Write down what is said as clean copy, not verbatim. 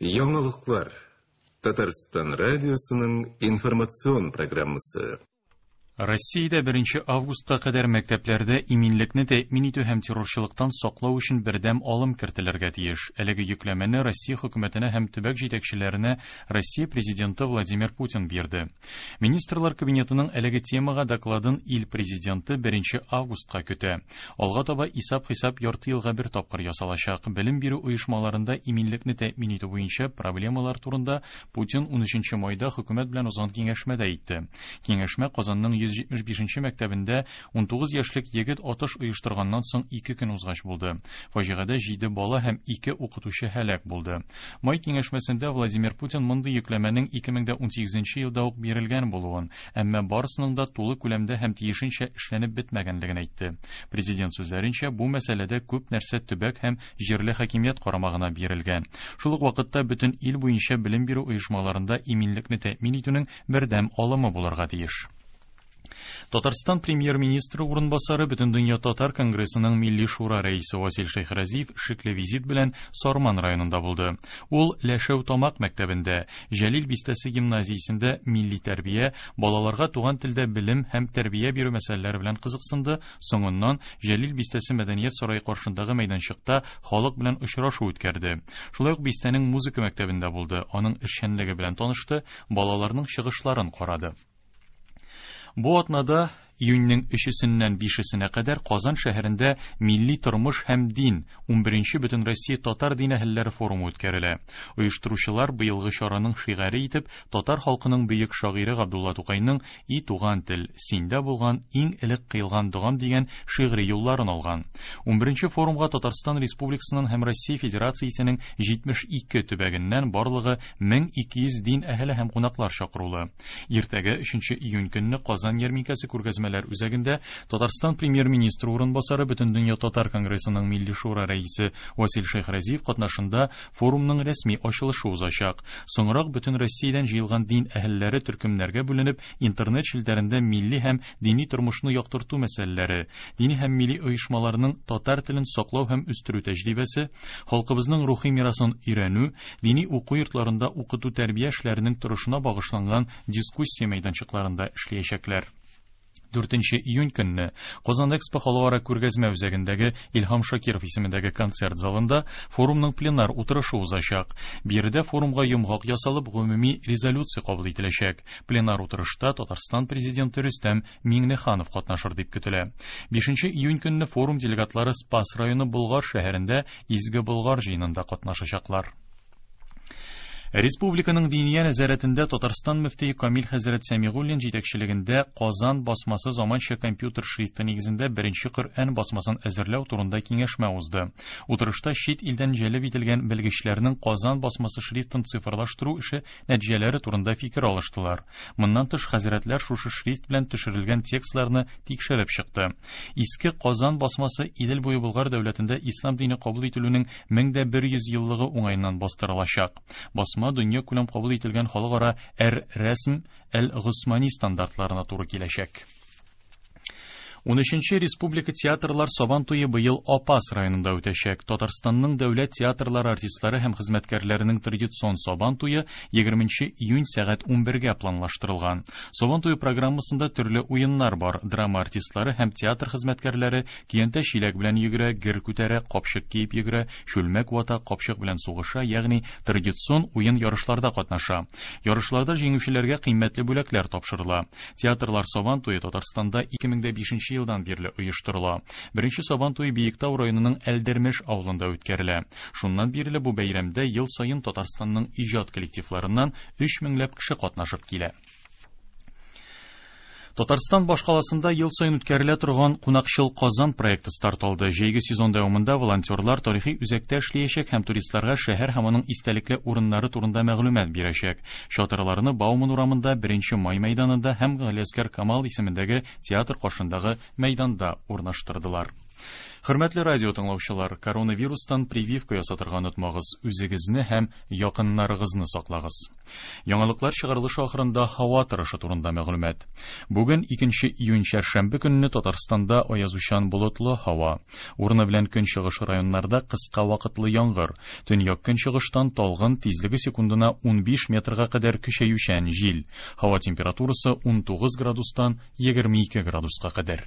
Яңалыклар. Татарстан радиосының информацион программасы. Россиядә 1 августка кадәр мәктәпләрдә иминлекне тәэмин итү һәм террорчылыктан саклау өчен бердәм алым кертелергә тиеш. Әлеге йөкләмәне Россия хөкүмәтенә һәм төбәк җитәкчеләренә Россия Президенты Владимир Путин бирде. Министрлар Кабинетының әлеге темага докладын ил Президенты 1 августка көтә. Алга таба исап-хисап ярты елга бер тапкыр ясалачак. Белем бирү оешмаларында иминлекне тәэмин итү буенча проблемалар турында Путин 13 майда хөкүмәт белән узган киңәшмәдә әйтте. Киңәшмә Казанның 175 нче мәктәбендә 19 яшьлек егет атыш оештырганнан соң ике көн узгач булды. Фаҗигадә җиде бала һәм ике укытучы һәлак булды. Май киңәшмәсендә Владимир Путин мондый йөкләмәнең 2018 нче елда ук бирелгән булуын, әмма барысының да тулы күләмдә һәм тиешенчә эшләнеп бетмәгәнлеген әйтте. Президент сүзләренчә, бу мәсьәләдә күп нәрсә төбәк һәм җирле хакимият карамагына бирелгән. Шул ук вакытта бөтен ил буенча белем бирү оешмаларында иминлекне тәэмин итүнең бердәм алымы булырга тиеш. Татарстан премьер-министры урынбасары Бөтендөнья татар конгрессының Милли шура рәисе Васил Шәйхразиев шикле визит белән Сарман районында булды. Ул Ләшәү Тамак мәктәбендә, Җәлил бистәсе гимназиясендә милли тәрбия, балаларга туган телдә белем һәм тәрбия бирү мәсьәләләре белән кызыксынды, соңыннан Җәлил бистәсе мәдәният сарае каршындагы мәйданчыкта халык белән очрашу үткәрде. Шулай ук бистәнең музыка мәктәбендә булды, аның эшчәнлеге белән танышты, балаларның чыгышларын карады. Бу атнада июньнең өчесеннән бишесенә кадәр Казан шәһәрендә Милли тормыш һәм дин 11 Бөтенроссия татар дин әһелләре форумы үткәрелә. Оештыручылар быелгы чараның шигаре итеп татар халкының бөек шагыйре Габдулла Тукайның И туган тел, синдә булган иң элек кыйлган догам дигән шигъри юлларын алган. Унберенче форумга Татарстан Республикасыннан һәм Россия Федерациясенең 72 төбәгеннән барлыгы 1200 дин әһеле һәм кунаклар чакырулы. Иртәгә, өченче июнь көнне Казан ярминкәсе күргәзмәләр үзәгендә Татарстан Премьер-министры урынбасары, Бөтендөнья татар конгрессының Милли шура рәисе Васил Шәйхразиев катнашында Форумның рәсми ачылышы узачак. Соңрак бөтен Россиядән җыелган дин әһелләре төркемнәргә бүленеп, интернет челтәрендә милли һәм дини тормышны яктырту мәсьәләләре, дини һәм милли оешмаларның татар телен саклау һәм үстерү тәҗрибәсе, халкыбызның рухи мирасын өйрәнү, дини уку йортларында укыту-тәрбия эшләренең торышына багышланган дискуссия мәйданчыкларында эшләячәкләр. 4 июнь көнне Казан Экспо халыкара күргәзмә үзәгендәге Илһам Шакиров исемендәге концерт залында форумның пленар утырышы узачак. Биредә форумга йомгак ясалып, гомуми резолюция кабул ителәчәк. Пленар утырышта Татарстан Президенты Рөстәм Миңнеханов катнашыр дип көтелә. 5 июнь көнне форум делегатлары Спас районы Болгар шәһәрендә Изге Болгар җыенында катнашачаклар. Республиканың Диния нәзарәтендә Татарстан мөфтие Камил хәзрәт Сәмигуллин җитәкчелегендә Казан басмасы заманча компьютер шрифты нигезендә беренче Коръән басмасын әзерләү турында киңәшмә узды. Утырышта чит илдән җәлеп ителгән белгечләрнең Казан басмасы шрифтын цифрлаштыру эше нәтиҗәләре турында фикер алыштылар. Моннан тыш, хәзрәтләр шушы шрифт белән төшерелгән текстларны тикшереп чыкты. Иске Казан басмасы Идел буе Болгар дәүләтендә ислам дине кабул ителүнең 1100 еллыгы уңаеннан бастырылачак. Басма дөньякүләм кабул ителгән халыкара Әр-Рәсм әл-Госмани стандартларына туры киләчәк. Унөченче республика театрлар Сабан туе быел Апас районында үтәчәк. Татарстанның дәүләт театрлары артистлары һәм хезмәткәрләренең традицион Сабан туе 20 июнь сәгать 11гә планлаштырылган. Сабан туе программасында төрле уеннар бар. Драма артистлары һәм театр хезмәткәрләре Көянтә чиләк белән йөгерә, гер күтәрә, капчык киеп йөгерә, чүлмәк вата, капчык белән сугыша, ягъни традицион уен-ярышларда катнаша. Ярышларда җиңүчеләргә кыйммәтле бүләкләр тапшырыла. Театрлар Сабан туе Татарстанда 2005 нче елдан бирле оештырыла. Беренче Сабан туе Биектау районының Әлдермеш авылында үткәрелә. Шуннан бирле бу бәйрәмдә ел саен Татарстанның иҗат коллективларыннан өч меңләп кеше катнашып килә. Татарстан башкаласында ел саен үткәрелә торган Кунакчыл Казан проекты старт алды. Җәйге сезон дәвамында волонтерлар тарихи үзәктә эшләячәк һәм туристларга шәһәр һәм аның истәлекле урыннары турында мәгълүмат бирәчәк. Чатырларны Бауман урамында, 1 май мәйданында һәм Галиәсгар Камал исемендәге театр каршындагы мәйданда урнаштырдылар. Хөрмәтле радио тыңлаучылар, коронавирустан прививка ясатырга онытмагыз, үзегезне һәм якыннарыгызны саклагыз. Яңалыклар чыгарылышы ахырында һава торышы турында мәгълүмат. Бүген 2 июнь чәршәмбе көнне Татарстанда аязучан болытлы һава. Урыны белән көнчыгыш районнарда кыска вакытлы яңгыр. Төньяк көнчыгыштан талгын тизлеге секундына 15 метрга кадәр көчәючән җил. Һава температурасы 19 градустан 22 градуска кадәр.